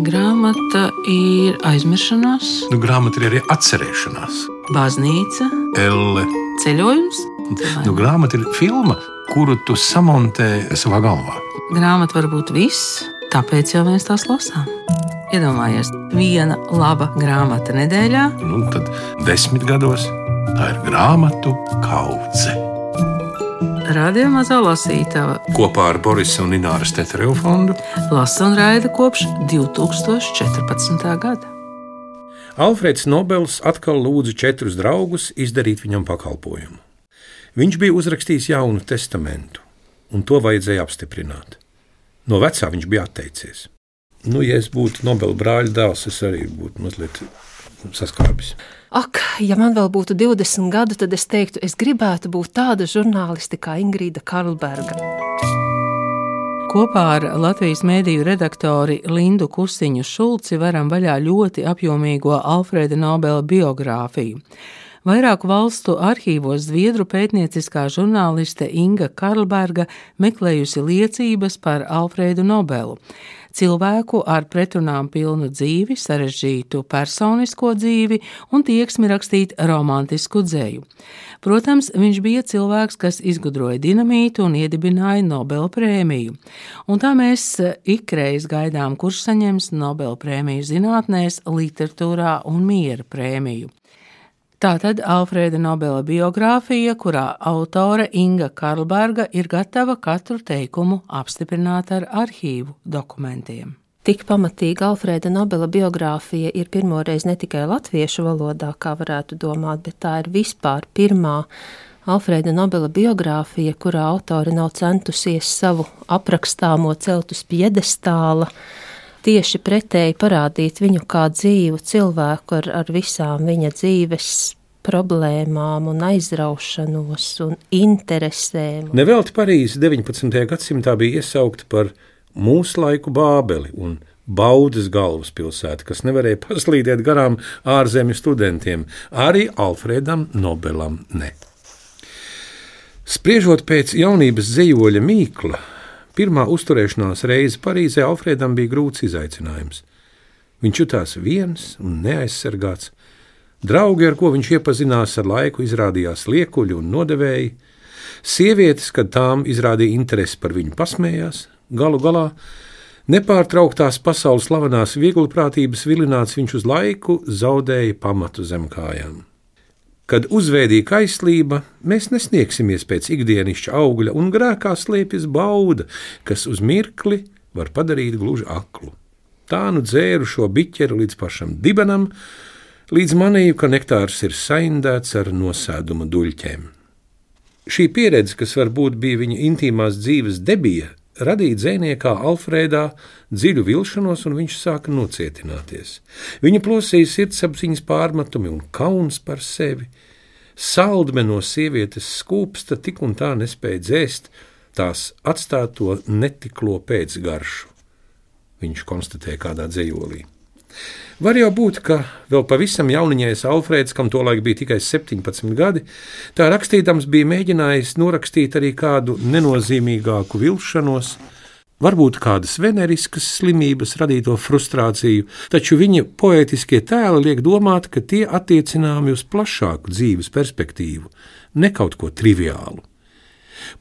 Grāmata ir aizmiršanās, Grāmata ir arī atcerēšanās. baznīca, Elle. ceļojums. Grāmata ir filma, kuru tu samontē savā galvā. Grāmata var būt viss, tāpēc jau mēs tās lasām. Iedomājies, viena laba grāmata nedēļā. Tad 10 gados tā ir grāmatu kaudze. Radio Mazā lasītava Kopā ar Borisa un Ināras Tetereva fondu lasa un raida kopš 2014. gada. Alfrēds Nobels atkal lūdza 4 draugus izdarīt viņam pakalpojumu. Viņš bija uzrakstījis Jaunu testamentu, un to vajadzēja apstiprināt. No vecā viņš bija atteicies. Ja es būtu Nobela brāļa dēls, es arī būtu mazliet saskābis. Ak, ja man vēl būtu 20 gadu, tad es teiktu, es gribētu būt tāda žurnāliste kā Ingrīda Karlberga. Kopā ar Latvijas mēdīju redaktori Lindu Kusiņu Šulci varam vaļā ļoti apjomīgo Alfrēda Nobela biogrāfiju. Vairāku valstu arhīvos zviedru pētnieciskā žurnāliste Inga Karlberga meklējusi liecības par Alfrēdu Nobelu. Cilvēku ar pretrunām pilnu dzīvi, sarežģītu personisko dzīvi un tieksmi rakstīt romantisku dzeju. Protams, viņš bija cilvēks, kas izgudroja dinamītu un iedibināja Nobela prēmiju. Un tā mēs ikreiz gaidām, kurš saņems Nobela prēmiju zinātnēs, literatūrā un miera prēmiju. Tātad Alfrēda Nobela biogrāfija, kurā autore Inga Karlberga ir gatava katru teikumu apstiprināt ar arhīvu dokumentiem. Tik pamatīga Alfrēda Nobela biogrāfija ir pirmoreiz ne tikai latviešu valodā, kā varētu domāt, bet tā ir vispār pirmā Alfrēda Nobela biogrāfija, kurā autore nav centusies savu aprakstāmo celt uz piedestāla, tieši pretēji parādīt viņu kā dzīvu cilvēku ar visām viņa dzīves problēmām un aizraušanos un interesēm. Nevelti Parīze 19. gadsimtā bija iesaukta par mūsu laiku Bābeli un baudas galvaspilsētu, kas nevarēja paslīdēt garām ārzemju studentiem, arī Alfrēdam Nobelam ne. Spriežot pēc jaunības dzejoļa Mīkla, pirmā uzturēšanās reize Parīzē Alfrēdam bija grūts izaicinājums. Viņš jutās viens un neaizsargāts. Draugi, ar ko viņš iepazinās ar laiku, izrādījās liekuļi un nodevēji. Sievietes, kad tām izrādīja interesi par viņu, pasmējās. Galu galā nepārtrauktās pasaules slavenās vieglprātības vilināts viņš uz laiku zaudēja pamatu zem kājām. Kad uzvēdīja kaislība, mēs nesniegsimies pēc ikdienišķa augļa, un grēkā slēpjas bauda, kas uz mirkli var padarīt gluži aklu. Tā nu dzēru šo biķeri līdz pašam dibenam, līdz manīju, ka nektārs ir saindēts ar nosēduma duļķēm. Šī pieredze, kas varbūt bija viņa intīmās dzīves debija, radīja dzejniekā Alfrēdā dziļu vilšanos, un viņš sāka nocietināties. Viņa plosīja sirdsapziņas pārmetumi un kauns par sevi. Saldme no sievietes skūpsta tik un tā nespēja dzēst tās atstāto netiklo pēcgaršu, viņš konstatēja kādā dzejolī. Var jau būt, ka vēl pavisam jauniņais Alfrēds, kam tolaik bija tikai 17 gadi, tā rakstīdams bija mēģinājis norakstīt arī kādu nenozīmīgāku vilšanos, varbūt kādas veneriskas slimības radīto frustrāciju, taču viņa poētiskie tēli liek domāt, ka tie attiecināmi uz plašāku dzīves perspektīvu, ne kaut ko triviālu.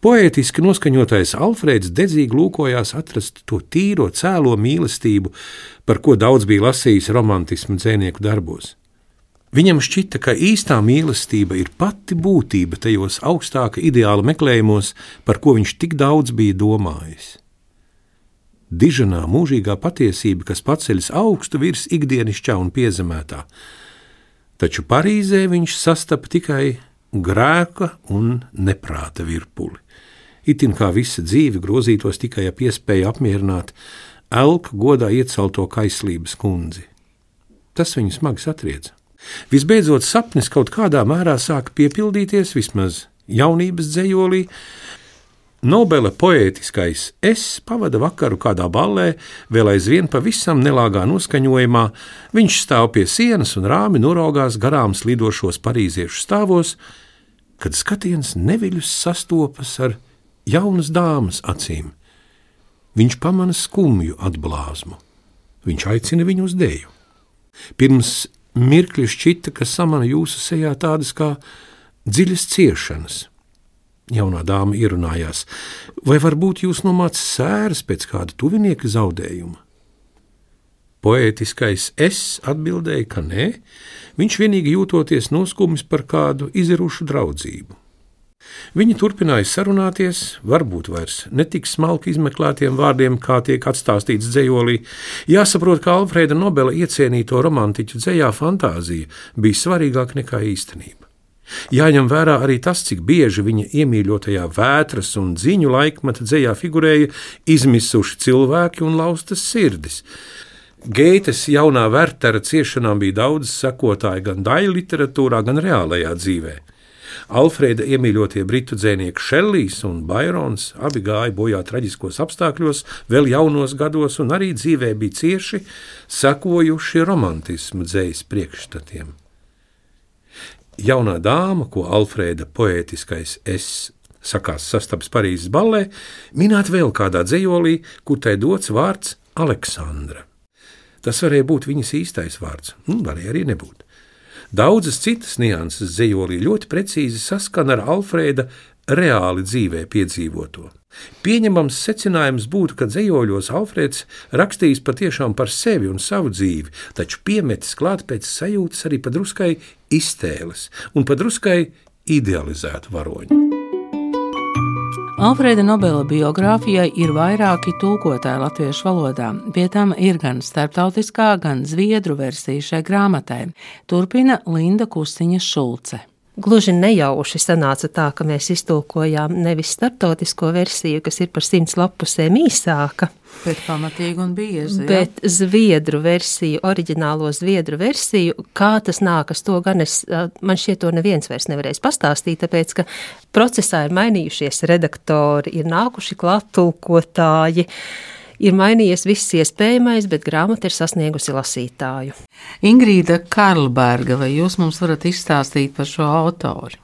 Poētiski noskaņotais Alfrēds dedzīgi lūkojās atrast to tīro, cēlo mīlestību, par ko daudz bija lasījis romantismu dzejnieku darbos. Viņam šķita, ka īstā mīlestība ir pati būtība tajos augstāka ideāla meklējumos, par ko viņš tik daudz bija domājis. Diženā mūžīgā patiesība, kas paceļas augstu virs ikdienišķā un piezemētā, taču Parīzē viņš sastapa tikai grēka un neprāta virpuli. Itin kā visa dzīve grozītos tikai ap iespēju apmierināt elku godā iecelto kaislības kundzi. Tas viņu smagi satrieca. Visbeidzot, sapnis kaut kādā mērā sāka piepildīties, vismaz jaunības dzejolī. Nobela poētiskais es pavada vakaru kādā ballē, vēl aizvien pavisam nelāgā noskaņojumā. Viņš stāv pie sienas un rāmi noraugās garām slidošos parīziešu stāvos, kad skatiens neviļus sastopas ar jaunas dāmas acīm. Viņš pamana skumju atblāzmu. Viņš aicina viņu uz deju. Pirms mirkļa šķita, ka samana jūsu sejā tādas kā dziļas ciešanas. Jaunā dāma ierunājās, vai varbūt jūs nomāc sēras pēc kāda tuvinieka zaudējuma? Poētiskais es atbildēja, ka nē, viņš vienīgi jūtoties noskumis par kādu izirušu draudzību. Viņi turpināja sarunāties, varbūt vairs netik smalki izmeklētiem vārdiem, kā tiek atstāstīts dzejolī. Jāsaprot, ka Alfrēda Nobela iecienīto romantiķu dzejā fantāzija bija svarīgāka nekā īstenība. Jāņem vērā arī tas, cik bieži viņa iemīļotajā vētras un dziņu laikmeta dzejā figurēja izmisuši cilvēki un laustas sirdis. Geites jaunā Wertera ciešanām bija daudz sekotāju gan daļu literatūrā, gan reālajā dzīvē. Alfrēda iemīļotie britu dzejnieki Šellijs un Bairons abi gāja bojā traģiskos apstākļos, vēl jaunos gados, un arī dzīvē bija cieši sekojuši romantismu dzejas priekšstatiem. Jaunā dāma, ko Alfrēda poētiskais es sakās sastaps Parīzes ballē, minēt vēl kādā dzejolī, kur tai dots vārds Aleksandra. Tas varēja būt viņas īstais vārds, varēja arī nebūt. Daudzas citas nianses dzejolī ļoti precīzi saskana ar Alfrēda reāli dzīvē piedzīvoto. Pieņemams secinājums būtu, ka dzejoļos Alfrēds rakstījis patiešām par sevi un savu dzīvi, taču piemetis klāt pēc sajūtas arī padruskai iztēles un padruskai idealizētu varoņu. Alfrēda Nobela biogrāfijai ir vairāki tulkotāji latviešu valodā, pie tam ir gan starptautiskā, gan zviedru versija šai grāmatai. Turpina Linda Kustiņa Šulce. Gluži nejauši sanāca tā, ka mēs iztulkojām nevis starptautisko versiju, kas ir par 100 lapusēm īsāka, bet pamatīgi un biezi, bet zviedru versiju, oriģinālo zviedru versiju. Kā tas nākas, to gan man šķiet to neviens vairs nevarēs pastāstīt, tāpēc, ka procesā ir mainījušies redaktori, ir nākuši klāt tulkotāji, ir mainījies viss iespējamais, bet grāmata ir sasniegusi lasītāju. Ingrīda Karlberga, vai jūs mums varat izstāstīt par šo autori?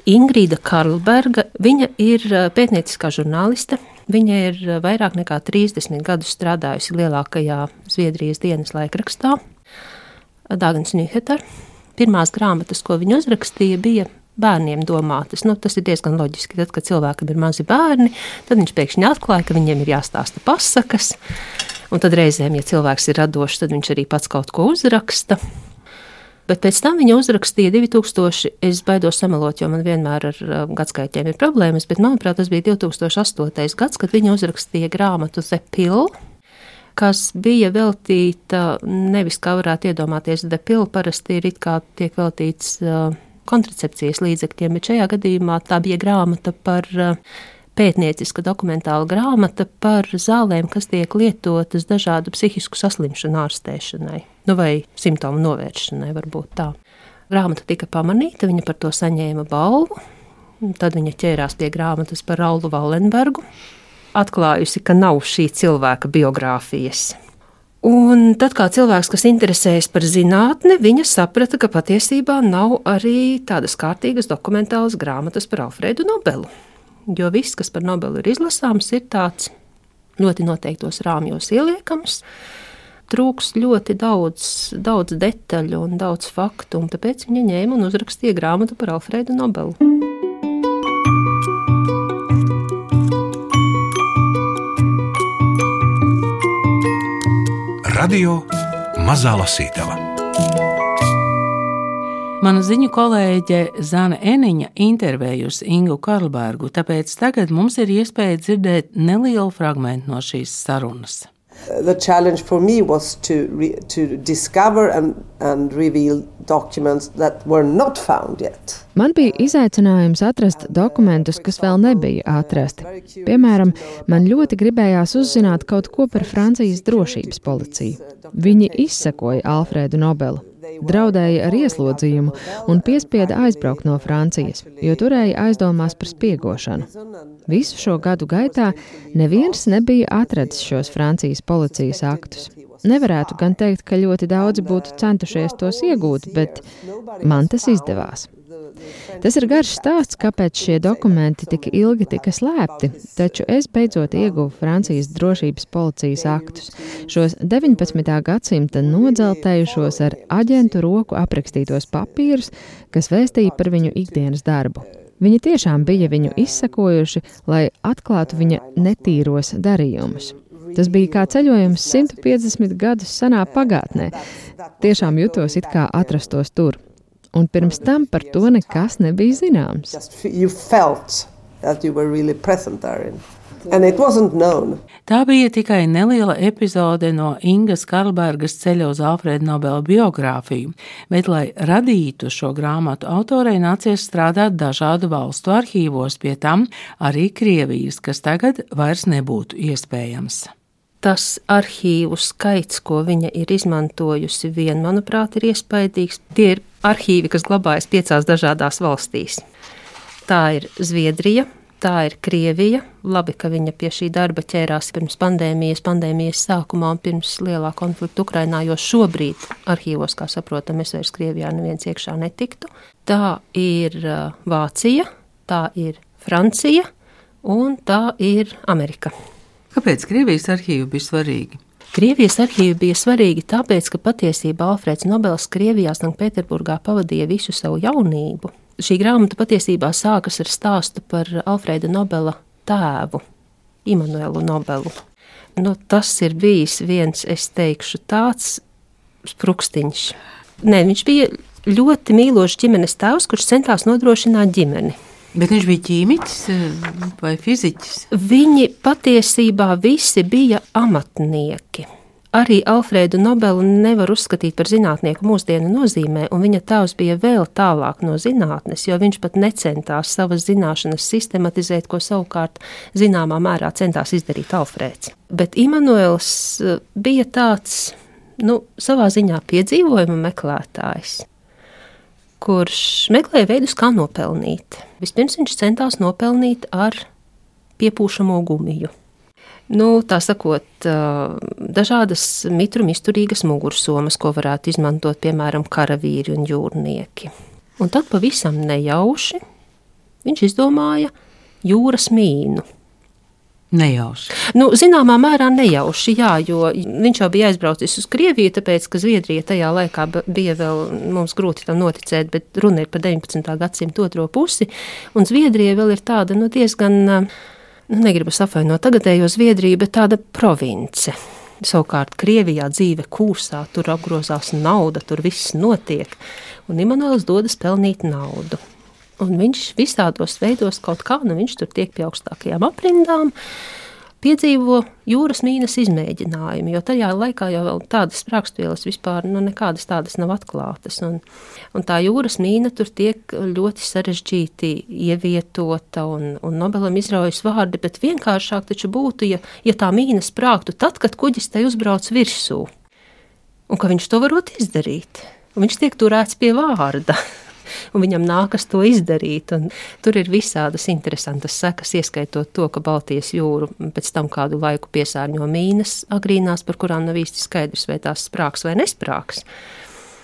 Ingrīda Karlberga, viņa ir pētnieciskā žurnāliste. Viņa ir vairāk nekā 30 gadus strādājusi lielākajā Zviedrijas dienas laikrakstā, Dagens Nyheter. Pirmās grāmatas, ko viņa uzrakstīja, bija bērniem domātas. Tas ir diezgan loģiski. Tad, kad cilvēkam ir mazi bērni, tad viņš pēkšņi atklāja, ka viņiem ir jāstāsta pasakas. Un tad reizēm, ja cilvēks ir radošs, tad viņš arī pats kaut ko uzraksta. Bet pēc tam viņa uzrakstīja 2000, es baidos samelot, jo man vienmēr ar gadskaitiem ir problēmas, bet manuprāt, tas bija 2008. gads, kad viņa uzrakstīja grāmatu The Pill, kas bija veltīta, nevis kā varētu iedomāties, The Pill parasti ir it kā tiek veltīts kontracepcijas līdzekļiem, bet šajā gadījumā tā bija grāmata par pētnieciska dokumentāla grāmata par zālēm, kas tiek lietotas dažādu psihisku saslimšanu ārstēšanai, vai simptomu novēršanai, varbūt tā. Grāmata tika pamanīta, viņa par to saņēma balvu, tad viņa ķērās pie grāmatas par Raulu Wallenbergu, atklājusi, ka nav šī cilvēka biogrāfijas. Un tad, kā cilvēks, kas interesējas par zinātni, viņa saprata, ka patiesībā nav arī tādas kārtīgas dokumentālas grāmatas par Alfrēdu Nobelu. Jo viss, kas par Nobelu ir izlasāms, ir tāds ļoti noteiktos rāmjos ieliekams, trūks ļoti daudz detaļu un daudz faktu, un tāpēc viņa ņēma un uzrakstīja grāmatu par Alfrēdu Nobelu. Radio Mazā Lasītava. Mana ziņu kolēģe Zana Eniņa intervējusi Ingu Karlbergu, tāpēc tagad mums ir iespēja dzirdēt nelielu fragmentu no šīs sarunas. The challenge for me was to discover and reveal documents that were not found yet. Man bija izaicinājums atrast dokumentus, kas vēl nebija atrasti. Piemēram, man ļoti gribējās uzzināt kaut ko par Francijas drošības policiju. Viņi izsekoja Alfrēdu Nobelu, draudēja ar ieslodzījumu un piespieda aizbraukt no Francijas, jo turēja aizdomās par spiegošanu. Visu šo gadu gaitā neviens nebija atradis šos Francijas policijas aktus. Nevarētu gan teikt, ka ļoti daudzi būtu centušies tos iegūt, bet man tas izdevās. Tas ir garš stāsts, kāpēc šie dokumenti tik ilgi tika slēpti, taču es beidzot ieguvu Francijas drošības policijas aktus, šos 19. gadsimta nodzeltējušos ar aģentu roku aprakstītos papīrus, kas vēstīja par viņu ikdienas darbu. Viņi tiešām bija viņu izsekojuši, lai atklātu viņa netīros darījumus. Tas bija kā ceļojums 150 gadus senā pagātnē. Tiešām jutos it kā atrastos tur. Un pirms tam par to nekas nebija zināms. Tā bija tikai neliela epizode no Ingas Karlbergas ceļa uz Alfrēda Nobela biogrāfiju, bet, lai radītu šo grāmatu, autorei nācies strādāt dažādu valstu arhīvos, pie tam arī Krievijas, kas tagad vairs nebūtu iespējams. Tas arhīvu skaits, ko viņa ir izmantojusi, manuprāt, ir iespaidīgs. Tie ir arhīvi, kas glabājas 5 dažādās valstīs. Tā ir Zviedrija, tā ir Krievija. Labi, ka viņa pie šī darba ķērās pirms pandēmijas sākumā un pirms lielā konflikta Ukrainā, jo šobrīd arhīvos, kā saprotam, es vairs Krievijā neviens iekšā netiktu. Tā ir Vācija, tā ir Francija un tā ir Amerika. Kāpēc Krievijas arhīvi bija svarīgi? Krievijas arhīvi bija svarīgi tāpēc, ka patiesībā Alfrēds Nobels Krievijā, Sanktpēterburgā pavadīja visu savu jaunību. Šī grāmata patiesībā sākas ar stāstu par Alfrēda Nobela tēvu, Immanuelu Nobelu. Tas ir bijis viens, es teikšu, tāds sprukstiņš. Viņš bija ļoti mīlošs ģimenes tēvs, kurš centās nodrošināt ģimeni. Bet viņš bija ķīmiķis vai fiziķis? Viņi patiesībā visi bija amatnieki. Arī Alfrēdu Nobelu nevar uzskatīt par zinātnieku mūsdienu nozīmē, un viņa tēvs bija vēl tālāk no zinātnes, jo viņš pat necentās savas zināšanas sistematizēt, ko savukārt zināmā mērā centās izdarīt Alfrēds. Bet Immanuels bija tāds, savā ziņā piedzīvojuma meklētājs, kurš meklēja veidus, kā nopelnīt. Vispirms viņš centās nopelnīt ar piepūšamo gumiju. Tā sakot, dažādas mitruma izturīgas mugursomas, ko varētu izmantot, piemēram, karavīri un jūrnieki. Un tad pavisam nejauši viņš izdomāja jūras mīnu. Nejauši. Zināmā mērā nejauši, jā, jo viņš jau bija aizbraucis uz Krieviju, tāpēc, ka Zviedrija tajā laikā bija vēl, mums grūti tam noticēt, bet runa ir par 19. gadsimta otro pusi, un Zviedrija vēl ir tāda, diezgan, negribu savainot tagadējo Zviedriju, bet tāda province. Savukārt Krievijā dzīve kūsā, tur apgrozās nauda, tur viss notiek, un Immanuels dodas pelnīt naudu. Un viņš visādos veidos kaut kā, viņš tur tiek pie augstākajām aprindām, piedzīvo jūras mīnas izmēģinājumu, jo tajā laikā jau vēl tādas sprāgstvielas vispār, nekādas tādas nav atklātas. Un tā jūras mīna tur tiek ļoti sarežģīti ievietota, un Nobelam izraujas vārdi, bet vienkāršāk taču būtu, ja tā mīna sprāgtu tad, kad kuģis tai uzbrauc virsū. Un ka viņš to varot izdarīt. Un viņš tiek turēts pie vārda. Un viņam nākas to izdarīt, un tur ir visādas interesantas sekas, ieskaitot to, ka Baltijas jūru pēc tam kādu laiku piesārņo mīnas agrīnās, par kurām nav īsti skaidrs, vai tās sprāgs vai nesprāgs,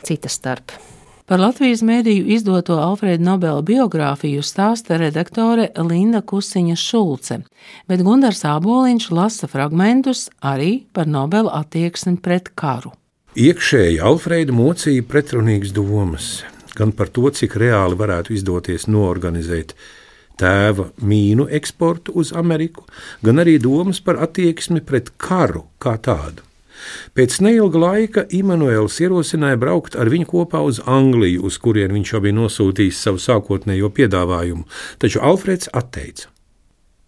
cita starp. Par Latvijas mēdīju izdoto Alfrēda Nobela biogrāfiju stāsta redaktore Linda Kusiņa Šulce, bet Gundars Āboliņš lasa fragmentus arī par Nobela attieksmi pret karu. Iekšēji Alfrēdu mocīja pretrunīgas domas. Gan par to, cik reāli varētu izdoties noorganizēt tēva mīnu eksportu uz Ameriku, gan arī domas par attieksmi pret karu kā tādu. Pēc neilga laika Immanuels ierosināja braukt ar viņu kopā uz Angliju, uz kurien viņš jau bija nosūtījis savu sākotnējo piedāvājumu, taču Alfrēds atteica.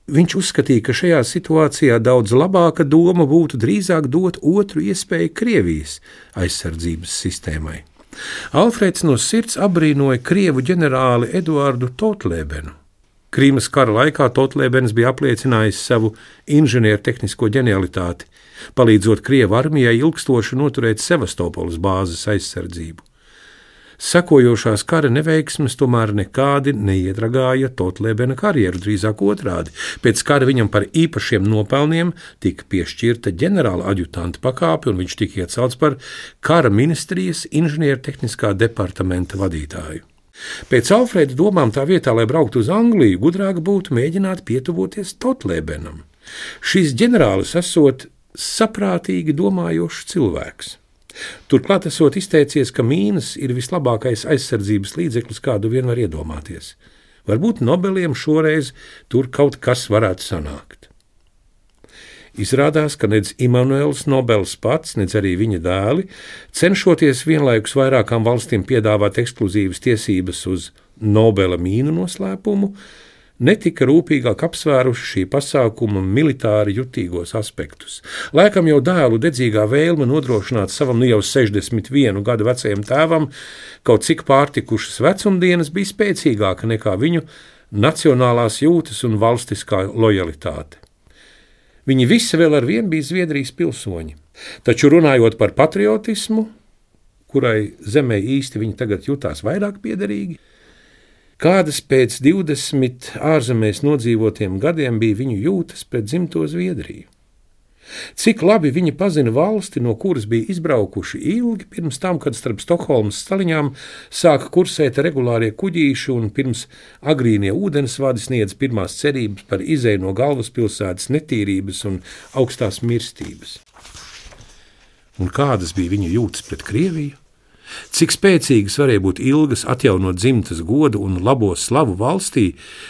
Viņš uzskatīja, ka šajā situācijā daudz labāka doma būtu drīzāk dot otru iespēju Krievijas aizsardzības sistēmai. Alfrēds no sirds apbrīnoja krievu ģenerāli Eduardu Totlēbenu. Krīmas kara laikā Totlēbens bija apliecinājis savu inženiertehnisko ģenialitāti, palīdzot krievu armijai ilgstoši noturēt Sevastopoles bāzes aizsardzību. Sekojošās kara neveiksmes tomēr nekādi neiedragāja Totlēbena karjeru, drīzāk otrādi. Pēc kara viņam par īpašiem nopelniem tika piešķirta ģenerāla aģutanta pakāpe, un viņš tika iecelts par kara ministrijas inženiertehniskā departamenta vadītāju. Pēc Alfrēda domām tā vietā, lai brauktu uz Angliju, gudrāk būtu mēģināt pietuvoties Tautlēbenam. Šis ģenerālis esot saprātīgi domājošs cilvēks. Turklāt esot izteicies, ka mīnas ir vislabākais aizsardzības līdzeklis, kādu vien var iedomāties. Varbūt Nobeliem šoreiz tur kaut kas varētu sanākt. Izrādās, ka nedz Immanuels Nobels pats, nedz arī viņa dēli, cenšoties vienlaikus vairākām valstīm piedāvāt ekskluzīvas tiesības uz Nobela mīnu noslēpumu, netika rūpīgāk apsvēruši šī pasākuma militāri jutīgos aspektus. Laikam jau dēlu dedzīgā vēlme nodrošināt savam jau 61 gadu vecajam tēvam kaut cik pārtikušas vecumdienas bija spēcīgāka nekā viņu nacionālās jūtas un valstiskā lojalitāte. Viņi visi vēl ar vienu bija Zviedrijas pilsoņi, taču runājot par patriotismu, kurai zemē īsti viņi tagad jutās vairāk piederīgi, kādas pēc 20 ārzemēs nodzīvotiem gadiem bija viņu jūtas pret dzimto Zviedriju. Cik labi viņi pazina valsti, no kuras bija izbraukuši ilgi pirms tam, kad starp Stokholmas staliņām sāka kursēt regulārie kuģīši un pirms agrīnie ūdensvadi sniedz pirmās cerības par izeju no galvaspilsētas netīrības un augstās mirstības. Un kādas bija viņa jūtas pret Krieviju? Cik spēcīgas varēja būt ilgas atjaunot dzimtas godu un labo slavu valstī,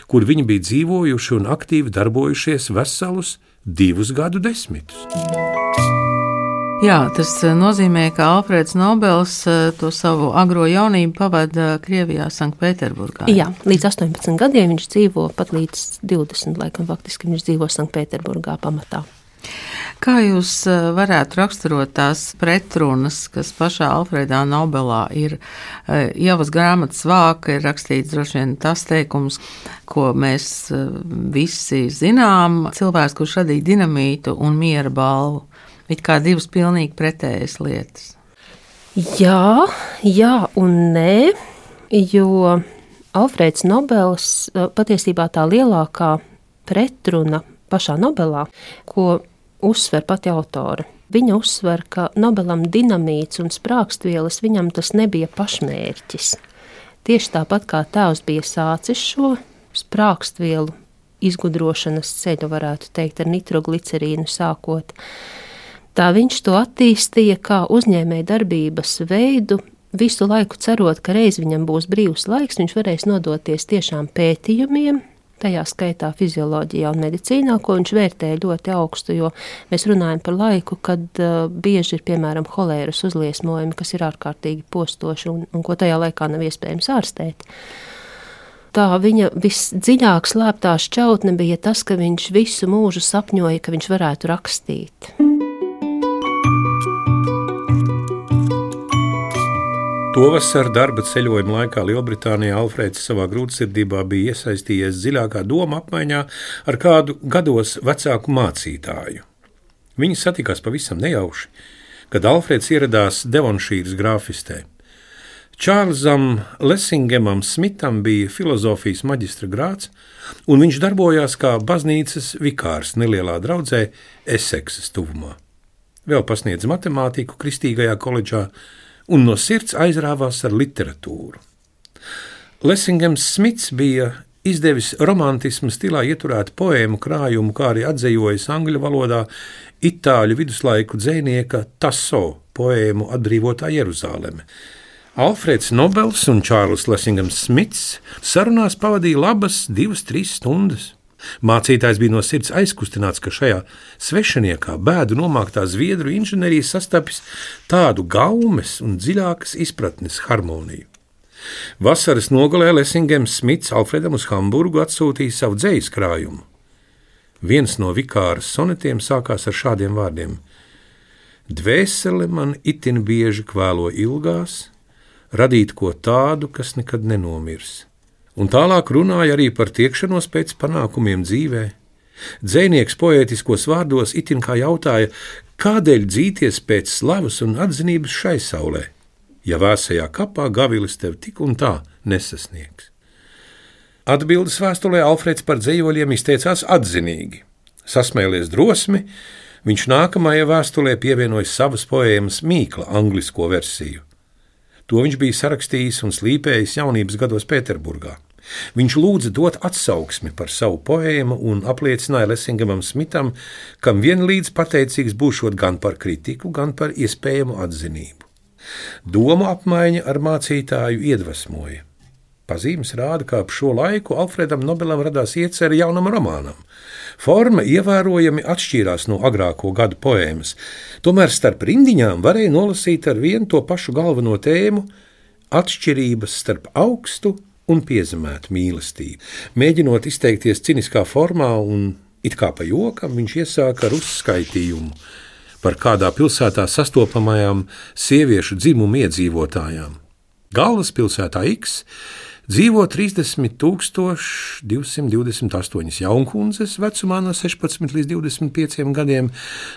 kur viņi bija dzīvojuši un aktīvi darbojušies veselus 2 gadu desmitus. Jā, tas nozīmē, ka Alfrēds Nobels to savu agro jaunību pavada Krievijā, Sanktpēterburgā. Jā, līdz 18 gadiem viņš dzīvo, pat līdz 20, laikam faktiski viņš dzīvo Sanktpēterburgā pamatā. Kā jūs varētu raksturot tās pretrunas, kas pašā Alfrēdā Nobelā ir? Ievas grāmatas vāka ir rakstīts droši vien tas teikums, ko mēs visi zinām. Cilvēks, kurš radīja dinamītu un miera balvu. It kā divas pilnīgi pretējas lietas. Jā un nē, jo Alfrēds Nobels patiesībā tā lielākā pretruna pašā Nobelā, ko uzsver pati autore. Viņa uzsver, ka Nobelam dinamīts un sprākstvielas viņam tas nebija pašmērķis. Tieši tāpat kā tēvs bija sācis šo sprākstvielu izgudrošanas ceļu, varētu teikt, ar nitroglicerīnu sākot, tā viņš to attīstīja kā uzņēmēja darbības veidu, visu laiku cerot, ka reiz viņam būs brīvs laiks, viņš varēs nodoties tiešām pētījumiem, tajā skaitā fizioloģijā un medicīnā, ko viņš vērtēja ļoti augstu, jo mēs runājam par laiku, kad bieži ir, piemēram, holēras uzliesmojumi, kas ir ārkārtīgi postoši un ko tajā laikā nav iespējams ārstēt. Tā viņa visdziļāk slēptā šķautne bija tas, ka viņš visu mūžu sapņoja, ka viņš varētu rakstīt. Tovasar darba ceļojuma laikā Lielbritānijā Alfrēds savā grūtsirdībā bija iesaistījies dziļākā doma apmaiņā ar kādu gados vecāku mācītāju. Viņi satikās pavisam nejauši, kad Alfrēds ieradās Devonšīras grāfistē. Čārlzam Lessingemam Smitam bija filozofijas maģistra grāds, un viņš darbojās kā baznīcas vikārs nelielā draudzē Eseksas tuvumā. Vēl pasniedz matemātiku Kristīgajā koledžā, un no sirds aizrāvās ar literatūru. Lessingems Smits bija izdevis romantismu stilā ieturētu poēmu krājumu, kā arī atzejojis angļu valodā itāļu viduslaiku dzejnieka Tasso poēmu Atbrīvotā Jeruzaleme. Alfrēds Nobels un Čārls Lessingems Smits sarunās pavadīja labas 2-3 stundas. Mācītājs bija no sirds aizkustināts, ka šajā svešiniekā bēdu nomāktā zviedru inženierija sastapis tādu gaumes un dziļākas izpratnes harmoniju. Vasaras nogalē Lessingems Smits Alfredam uz Hamburgu atsūtīja savu dzejas krājumu. Viens no vikāras sonetiem sākās ar šādiem vārdiem: Dvēsele man itin bieži kvēlo ilgās, radīt ko tādu, kas nekad nenomirs. Un tālāk runāja arī par tiekšanos pēc panākumiem dzīvē. Dzejnieks poētiskos vārdos itin kā jautāja, kādēļ dzīties pēc slavas un atzinības šai saulē, ja vēsajā kapā gavilis tev tik un tā nesasniegs. Atbildes vēstulē Alfrēds par dzejoļiem izteicās atzinīgi. Sasmēlies drosmi, viņš nākamajai vēstulē pievienoja savas poēmas Mīkla anglisko versiju. To viņš bija sarakstījis un slīpējis jaunības gados Pēterburgā. Viņš lūdza dot atsauksmi par savu poēmu un apliecināja Lessingamam Smitam, kam vienlīdz pateicīgs būšot gan par kritiku, gan par iespējamu atzinību. Domu apmaiņa ar mācītāju iedvesmoja. Pazīmes rāda, ka ap šo laiku Alfredam Nobelam radās iecerē jaunam romānam. Forma ievērojami atšķīrās no agrāko gadu poēmas, tomēr starp rindiņām varēja nolasīt ar vienu to pašu galveno tēmu – atšķirības starp augstu un piezemētu mīlestību. Mēģinot izteikties ciniskā formā un it kā pa jokam, viņš iesāka ar uzskaitījumu par kādā pilsētā sastopamajām sieviešu dzimumu iedzīvotājām. Galvaspilsētā X dzīvo 30 228 jaunkundzes vecumā no 16 līdz 25 gadiem,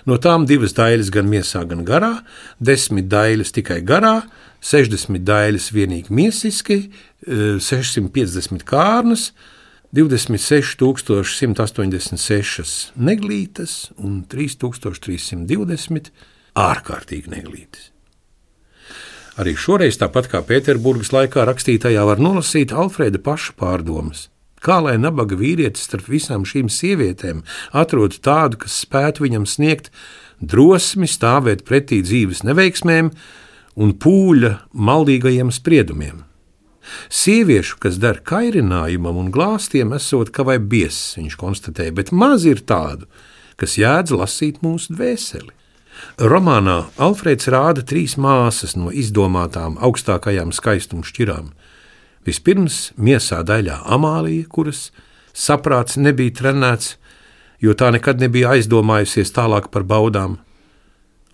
no tām 2 daļas gan miesā, gan garā, 10 daļas tikai garā, 60 daļas vienīgi miesiski, 650 kārnas, 26 186 neglītas un 3320 ārkārtīgi neglītas. Arī šoreiz, tāpat kā Pēterburgas laikā, rakstītājā var nolasīt Alfrēda paša pārdomas. Kā lai nabaga vīrietis starp visām šīm sievietēm atrod tādu, kas spētu viņam sniegt drosmi stāvēt pretī dzīves neveiksmēm un pūļa maldīgajiem spriedumiem. Sieviešu, kas der kairinājumam un glāstiem, esot kā vai biezs, viņš konstatēja, bet maz ir tādu, kas jēdz lasīt mūsu dvēseli. Romānā Alfrēds rāda 3 māsas no izdomātām augstākajām skaistuma šķirām. Vispirms miesā daļā Amālija, kuras saprāts nebija trenēts, jo tā nekad nebija aizdomājusies tālāk par baudām.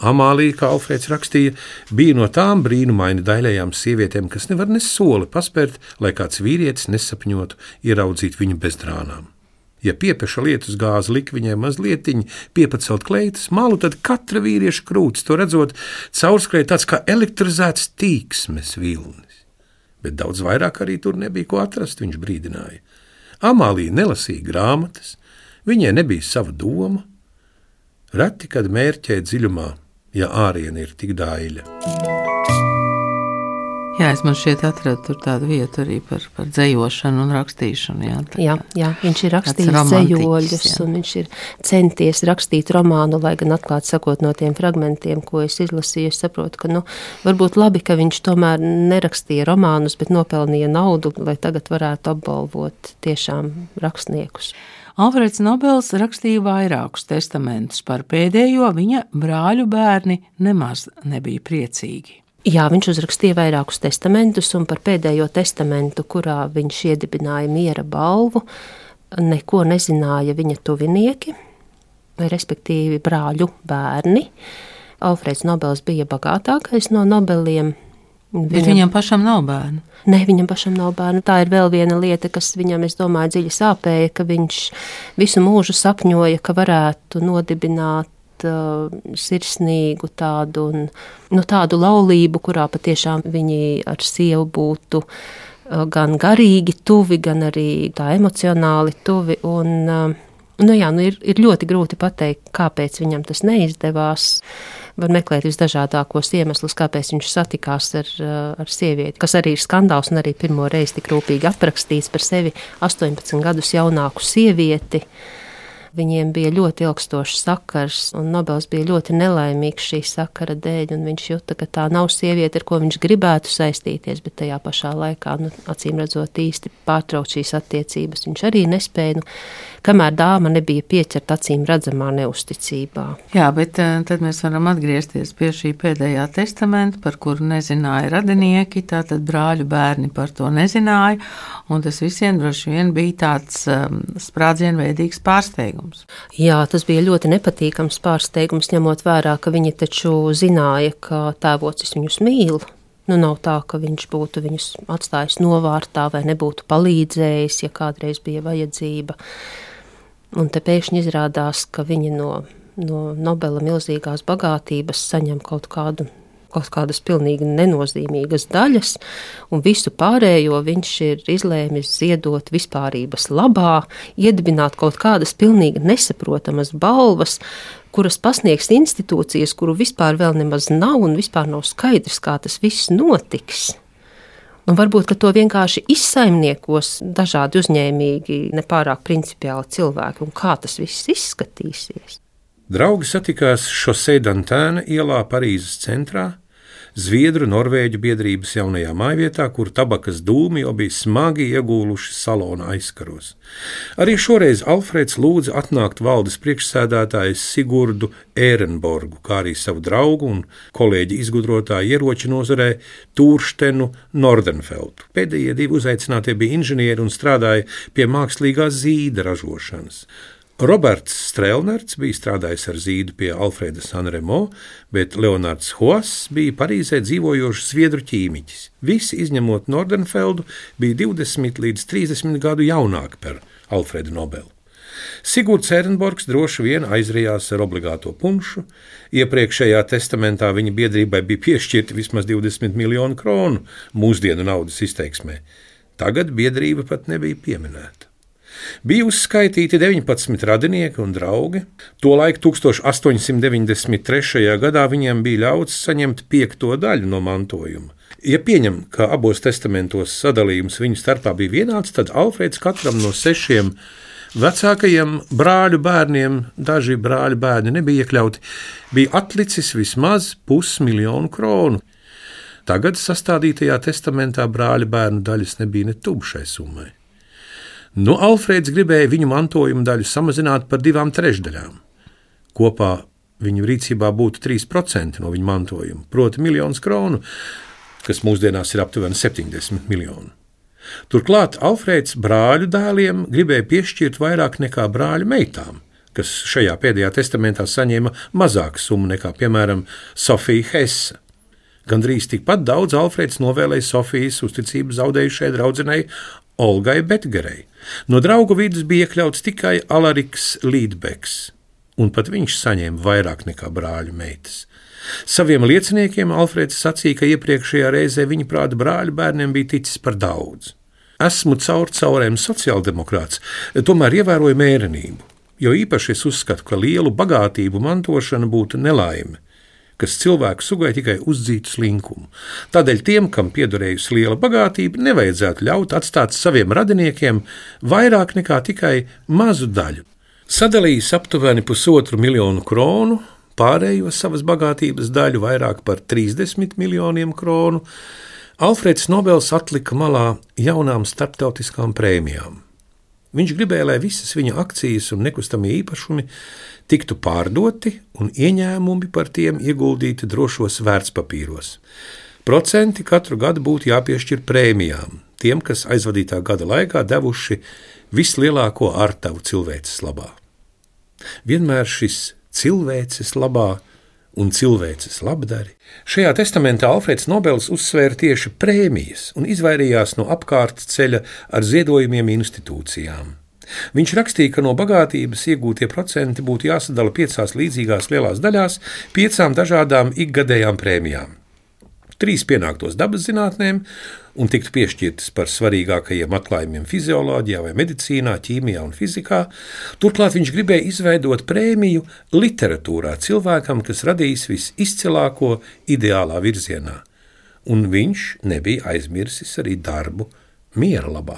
Amālija, kā Alfrēds rakstīja, bija no tām brīnumaini daļajām sievietēm, kas nevar ne soli paspērt, lai kāds vīrietis nesapņotu ieraudzīt viņu bez drānām. Ja piepeša lietus gāzi lika viņai mazlietiņi piepacelt kleitas malu, tad katra vīrieša krūts, to redzot, caurskrēja tāds kā elektrizēts tīksmes vilnis. Bet daudz vairāk arī tur nebija ko atrast, viņš brīdināja. Amālija nelasīja grāmatas, viņai nebija sava doma. Reti, kad mērķē dziļumā, ja āriena ir tik daļa. Jā, es man šķiet atradu tur tādu vietu arī par dzejošanu un rakstīšanu. Jā, viņš ir rakstījis dzejoļus un viņš ir centies rakstīt romānu, lai gan atklāt sakot no tiem fragmentiem, ko es izlasīju, es saprotu, ka varbūt labi, ka viņš tomēr nerakstīja romānus, bet nopelnīja naudu, lai tagad varētu apbalvot tiešām rakstniekus. Alfreds Nobels rakstīja vairākus testamentus, par pēdējo viņa brāļu bērni nemaz nebija priecīgi. Jā, viņš uzrakstīja vairākus testamentus, un par pēdējo testamentu, kurā viņš iedibināja miera balvu, neko nezināja viņa tuvinieki, respektīvi brāļu bērni. Alfreds Nobels bija bagātākais no Nobeliem. Bet viņam pašam nav bērnu? Nē, viņam pašam nav bērnu. Tā ir vēl viena lieta, kas viņam, es domāju, dziļi sāpēja, ka viņš visu mūžu sapņoja, ka varētu nodibināt sirsnīgu tādu, tādu laulību, kurā patiešām viņi ar sievu būtu gan garīgi tuvi, gan arī tā emocionāli tuvi. Ir ļoti grūti pateikt, kāpēc viņam tas neizdevās. Var meklēt visdažādākos iemeslus, kāpēc viņš satikās ar sievieti, kas arī ir skandāls un arī pirmo reizi tik rūpīgi aprakstīts par sevi 18 gadus jaunāku sievieti. Viņiem bija ļoti ilgstošs sakars, un Nobels bija ļoti nelaimīgs šī sakara dēļ, un viņš jūta, ka tā nav sieviete, ar ko viņš gribētu saistīties, bet tajā pašā laikā, acīm redzot, īsti pārtraukt šīs attiecības. Viņš arī nespēja, kamēr dāma nebija pieķerta acīm redzamā neusticībā. Jā, bet tad mēs varam atgriezties pie šī pēdējā testamenta, par kuru nezināja radinieki, tātad brāļu bērni par to nezināja, un tas visiem droši vien bija tāds sprādzienveidīgs pārsteigums. Jā, tas bija ļoti nepatīkams pārsteigums, ņemot vērā, ka viņi taču zināja, ka tēvocis viņus mīl. Nav tā, ka viņš būtu viņus atstājis novārtā vai nebūtu palīdzējis, ja kādreiz bija vajadzība. Un te pēkšņi izrādās, ka viņi no Nobela milzīgās bagātības saņem kaut kādu kaut kādas pilnīgi nenozīmīgas daļas, un visu pārējo viņš ir izlēmis ziedot vispārības labā, iedibināt kaut kādas pilnīgi nesaprotamas balvas, kuras pasniegs institūcijas, kuru vispār vēl nemaz nav un vispār nav skaidrs, kā tas viss notiks. Un varbūt, ka to vienkārši izsaimniekos dažādi uzņēmīgi, nepārāk principiāli cilvēki, un kā tas viss izskatīsies. Draugi satikās Chaussée d'Antin ielā Parīzes centrā, Zviedru Norvēģu biedrības jaunajā mājvietā, kur tabakas dūmi jau bija smagi iegūluši salona aizkaros. Arī šoreiz Alfrēds lūdza atnākt valdes priekšsēdētājs Sigurdu Ērenborgu, kā arī savu draugu un kolēģi izgudrotāju ieroču nozarē Tūrštenu Nordenfeldu. Pēdējie divi uzaicinātie bija inženieri un strādāja pie mākslīgā zīda ražošanas. Roberts Strelnerts bija strādājis ar zīdu pie Alfrēda Sanremo, bet Leonards Hoss bija Parīzē dzīvojošs zviedru ķīmiķis. Visi, izņemot Nordenfeldu, bija 20 līdz 30 gadu jaunāki par Alfredu Nobelu. Sigurds Ērenborgs droši vien aizrījās ar obligāto punšu. Iepriekšējā testamentā viņa biedrībai bija piešķirti vismaz 20 miljonu kronu mūsdienu naudas izteiksmē. Tagad biedrība pat nebija pieminēta. Bija uzskaitīti 19 radinieki un draugi. Tolaik 1893. gadā viņiem bija ļauts saņemt 5. daļu no mantojuma. Ja pieņem, ka abos testamentos sadalījums viņu starpā bija vienāds, tad Alfrēds katram no 6 vecākajiem brāļu bērniem, daži brāļu bērni nebija iekļauti, bija atlicis vismaz 500 000 kronu. Tagad sastādītajā testamentā brāļu bērnu daļas nebija ne tuvu šai summai. Alfrēds gribēja viņu mantojuma daļu samazināt par 2/3. Kopā viņu rīcībā būtu 3% no viņa mantojuma, proti 1 000 000 kronu, kas mūsdienās ir aptuveni 70 miljoni. Turklāt Alfrēds brāļu dēliem gribēja piešķirt vairāk nekā brāļu meitām, kas šajā pēdējā testamentā saņēma mazāku summu nekā, piemēram, Sofija Hesse. Gandrīz tikpat daudz Alfrēds novēlēja Sofijas uzticību zaudējušai draudzenei Olgai Betgerei. No draugu vidus bija iekļauts tikai Alariks Līdbeks, un pat viņš saņēma vairāk nekā brāļu meitas. Saviem lieciniekiem Alfrēds sacīja, ka iepriekšējā reizē viņa prāta brāļu bērniem bija ticis par daudz. Esmu caurēm sociāldemokrāts, tomēr ievēroju mērenību, jo īpaši es uzskatu, ka lielu bagātību mantošana būtu nelaime, kas cilvēku sugai tikai uzdzītu slinkumu. Tādēļ tiem, kam piederējusi liela bagātība, nevajadzētu ļaut atstāt saviem radiniekiem vairāk nekā tikai mazu daļu. Sadalījis aptuveni 1,5 miljonu kronu, pārējo savas bagātības daļu vairāk par 30 miljoniem kronu, Alfrēds Nobels atlika malā jaunām starptautiskām prēmijām. Viņš gribēja, lai visas viņa akcijas un nekustamie īpašumi tiktu pārdoti un ieņēmumi par tiem ieguldīti drošos vērtspapīros. Procenti katru gadu būtu jāpiešķir prēmijām, tiem, kas aizvadītā gada laikā devuši vislielāko artavu cilvēces labā. Vienmēr šis cilvēces labā un cilvēces labdari. Šajā testamentā Alfrēds Nobels uzsvēra tieši prēmijas un izvairījās no apkārt ceļa ar ziedojumiem institūcijām. Viņš rakstīja, ka no bagātības iegūtie procenti būtu jāsadala 5 līdzīgās lielās daļās, 5 dažādām ikgadējām prēmijām. 3 pienāktos dabas zinātnēm un tiktu piešķirtas par svarīgākajiem atklājumiem fizioloģijā vai medicīnā, ķīmijā un fizikā. Turklāt viņš gribēja izveidot prēmiju literatūrā cilvēkam, kas radīs visizcilāko ideālā virzienā. Un viņš nebija aizmirsis arī darbu miera labā.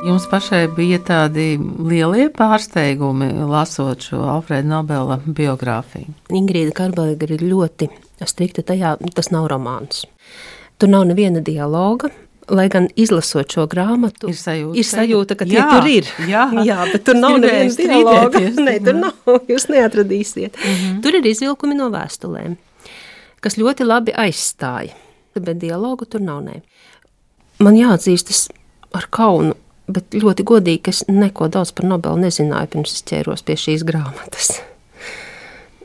Jums pašai bija tādi lielie pārsteigumi, lasot šo Alfrēda Nobela biogrāfiju? Ingrīda Karberga ir ļoti strikta tajā, tas nav romāns. Tur nav neviena dialoga, lai gan izlasot šo grāmatu, ir sajūta, ka tie tur ir. Jā, bet tur nav neviena dialoga. Nē, tur nav, jūs neatradīsiet. Tur ir izvilkumi no vēstulēm, kas ļoti labi aizstāja, bet dialogu tur nav. Nē. Man jāatzīstas ar kaunu, bet ļoti godīgi, ka es neko daudz par Nobelu nezināju, pirms es ķēros pie šīs grāmatas.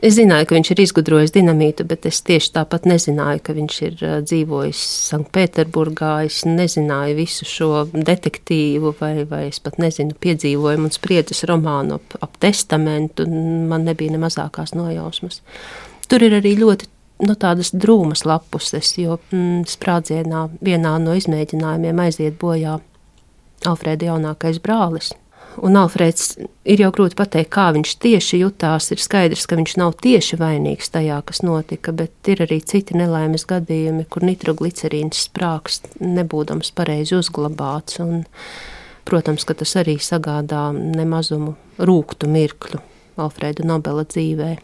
Es zināju, ka viņš ir izgudrojis dinamītu, bet es tieši tāpat nezināju, ka viņš ir dzīvojis Sanktpēterburgā. Es nezināju visu šo detektīvu, vai es pat nezinu piedzīvojumu un spriedzes romānu ap testamentu. Man nebija ne mazākās nojausmas. Tur ir arī ļoti tādas drūmas lapuses, jo sprādzienā vienā no izmēģinājumiem aiziet bojā Alfrēda jaunākais brālis. Un Alfrēds ir jau grūti pateikt, kā viņš tieši jutās. Ir skaidrs, ka viņš nav tieši vainīgs tajā, kas notika, bet ir arī citi nelaimes gadījumi, kur nitroglicerīns sprākst, nebūdams pareizi uzglabāts. Un, protams, ka tas arī sagādā nemazumu rūgtu mirkļu Alfrēda Nobela dzīvē.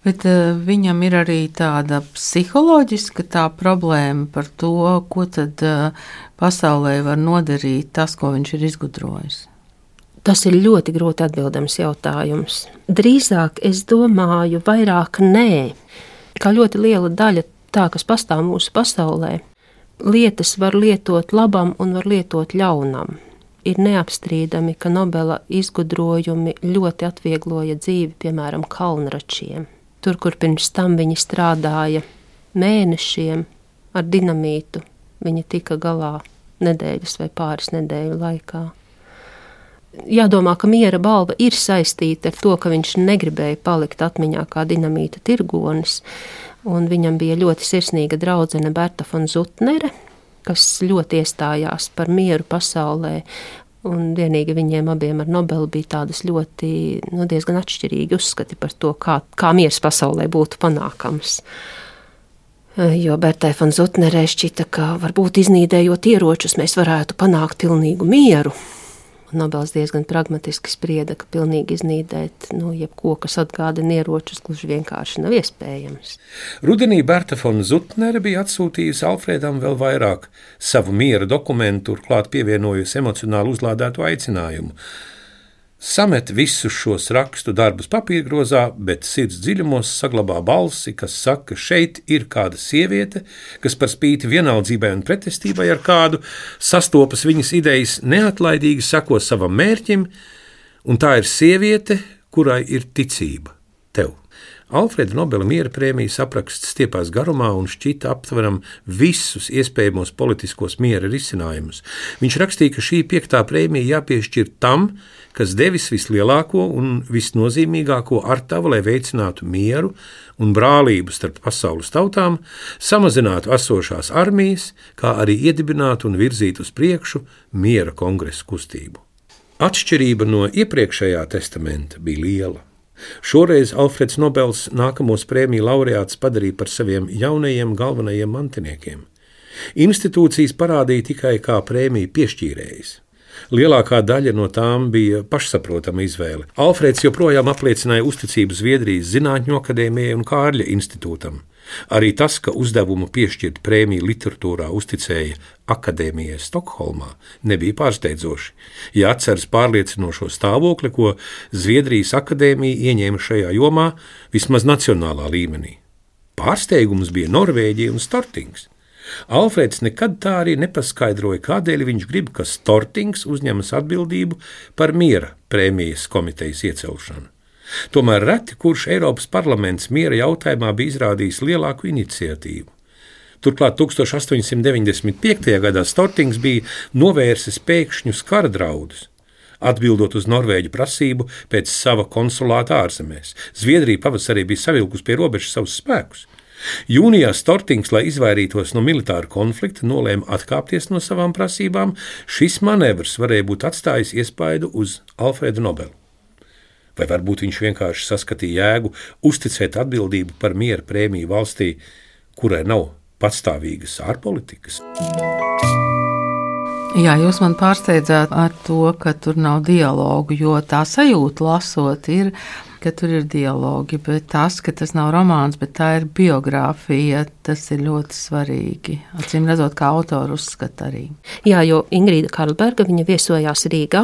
Bet viņam ir arī tāda psiholoģiska problēma par to, ko tad pasaulē var nodarīt tas, ko viņš ir izgudrojis. Tas ir ļoti grūti atbildams jautājums. Drīzāk es domāju, vairāk nē. Kā ļoti liela daļa tā, kas pastāv mūsu pasaulē, lietas var lietot labam un var lietot ļaunam. Ir neapstrīdami, ka Nobela izgudrojumi ļoti atviegloja dzīvi, piemēram, kalnračiem. Tur, kur pirms tam viņi strādāja mēnešiem ar dinamītu, viņi tika galā nedēļas vai pāris nedēļu laikā. Jādomā, ka miera balva ir saistīta ar to, ka viņš negribēja palikt atmiņā kā dinamīta tirgonis, un viņam bija ļoti sirsnīga draudzene Berta von Zutnere, kas ļoti iestājās par mieru pasaulē, un vienīgi viņiem abiem ar Nobelu bija tādas ļoti, diezgan atšķirīgi uzskati par to, kā miers pasaulē būtu panākams. Jo Bertai von Zutnerei šķita, ka varbūt iznīdējot ieročus mēs varētu panākt pilnīgu mieru. Un Nobels diezgan pragmatiski sprieda, ka pilnīgi iznīdēt jebko, kas atgādina ieročus, gluži vienkārši nav iespējams. Rudenī Berta von Zutnere bija atsūtījusi Alfrēdam vēl vairāk savu miera dokumentu, turklāt pievienojusi emocionāli uzlādētu aicinājumu. Samet visus šos rakstu darbus papīrgrozā, bet sirds dziļumos saglabā balsi, kas saka, ka šeit ir kāda sieviete, kas par spīti vienaldzībai un pretestībai ar kādu sastopas viņas idejas, neatlaidīgi sako savam mērķim, un tā ir sieviete, kurai ir ticība tev. Alfrēda Nobela miera prēmijas apraksts stiepās garumā un šķita aptveram visus iespējamos politiskos miera risinājumus. Viņš rakstīja, ka šī 5. prēmija jāpiešķir tam, kas devis vislielāko un visnozīmīgāko artavu, lai veicinātu mieru un brālību starp pasaules tautām, samazinātu esošās armijas, kā arī iedibinātu un virzītu uz priekšu miera kongresa kustību. Atšķirība no iepriekšējā testamenta bija liela. Šoreiz Alfrēds Nobels nākamos prēmiju laureātus padarīja par saviem jaunajiem galvenajiem mantiniekiem. Institūcijas parādīja tikai kā prēmiju piešķīrējs. Lielākā daļa no tām bija pašsaprotama izvēle. Alfrēds joprojām apliecināja uzticību Zviedrijas Zinātņu akadēmijai un Kārļa institūtam. Arī tas, ka uzdevumu piešķirt prēmiju literatūrā uzticēja akadēmijai Stokholmā, nebija pārsteidzoši, ja atceras pārliecinošo stāvokli, ko Zviedrijas akadēmija ieņēma šajā jomā vismaz nacionālā līmenī. Pārsteigums bija Norvēģija un Stortings. Alfrēds nekad tā arī nepaskaidroja, kādēļ viņš grib, ka Stortings uzņemas atbildību par miera prēmijas komitejas iecelšanu. Tomēr reti kurš Eiropas parlaments miera jautājumā bija izrādījis lielāku iniciatīvu. Turklāt 1895. gadā Stortings bija novērsis pēkšņus kara draudus, atbildot uz norvēģu prasību pēc sava konsulāta ārzemēs. Zviedrija pavasarī bija savilkusi pie robežas savus spēkus. Jūnijā Stortings, lai izvairītos no militāra konflikta, nolēma atkāpties no savām prasībām. Šis manevrs varēja būt atstājis iespaidu uz Alfrēdu Nobelu. Vai varbūt viņš vienkārši saskatīja jēgu uzticēt atbildību par miera prēmiju valstī, kurai nav patstāvīgas ārpolitikas? Jā, jūs man pārsteidzāt ar to, ka tur nav dialogu, jo tā sajūta lasot ir, ka tur ir dialogi, bet tas, ka tas nav romāns, bet tā ir biogrāfija, tas ir ļoti svarīgi. Acīm redzot, kā autoru uzskata arī. Jā, jo Ingrīda Karlberga, viņa viesojās Rīgā,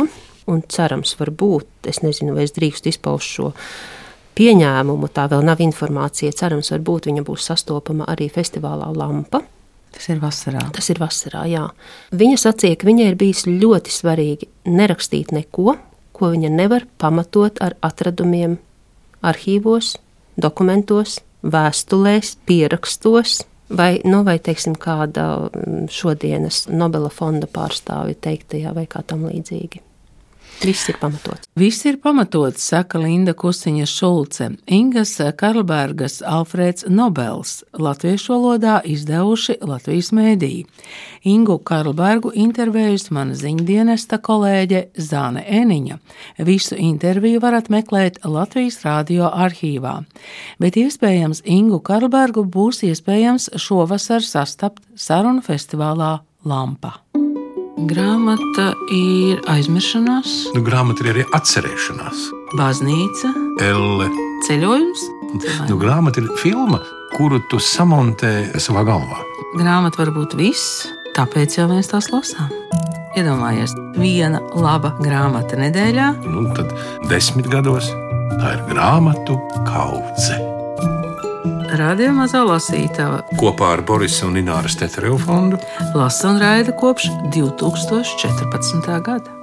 un cerams varbūt, es nezinu, vai es drīkstu izpaust šo pieņēmumu, tā vēl nav informācija, cerams varbūt viņa būs sastopama arī festivālā Lampa. Tas ir vasarā. Tas ir vasarā, jā. Viņa sacīja, ka viņai ir bijis ļoti svarīgi nerakstīt neko, ko viņa nevar pamatot ar atradumiem arhīvos, dokumentos, vēstulēs, pierakstos, vai teiksim, kāda šodienas Nobela fonda pārstāvja teiktajā vai kā tam līdzīgi. Viss ir pamatots. Viss ir pamatots, saka Linda Kustiņa Šulce, Ingas Karlbergas, Alfrēds Nobels, latviešu valodā izdevuši Latvijas mēdīji. Ingu Karlbergu intervējusi mana ziņdienesta kolēģe Zāne Eniņa. Visu interviju varat meklēt Latvijas radio arhīvā, bet iespējams Ingu Karlbergu būs iespējams šovasar sastapt sarunu festivālā Lampa. Grāmata ir aizmiršanās, Grāmata ir arī atcerēšanās. baznīca, Elle. ceļojums. Grāmata ir filma, kuru tu samontē savā galvā. Grāmata var būt viss, tāpēc jau mēs tās lasām. Iedomājies, viena laba grāmata nedēļā. Tad 10 gados tā ir grāmatu kaudze. Radio Mazā lasītava Kopā ar Borisa un Ināras Tetereva fondu lasa un raida kopš 2014. gada.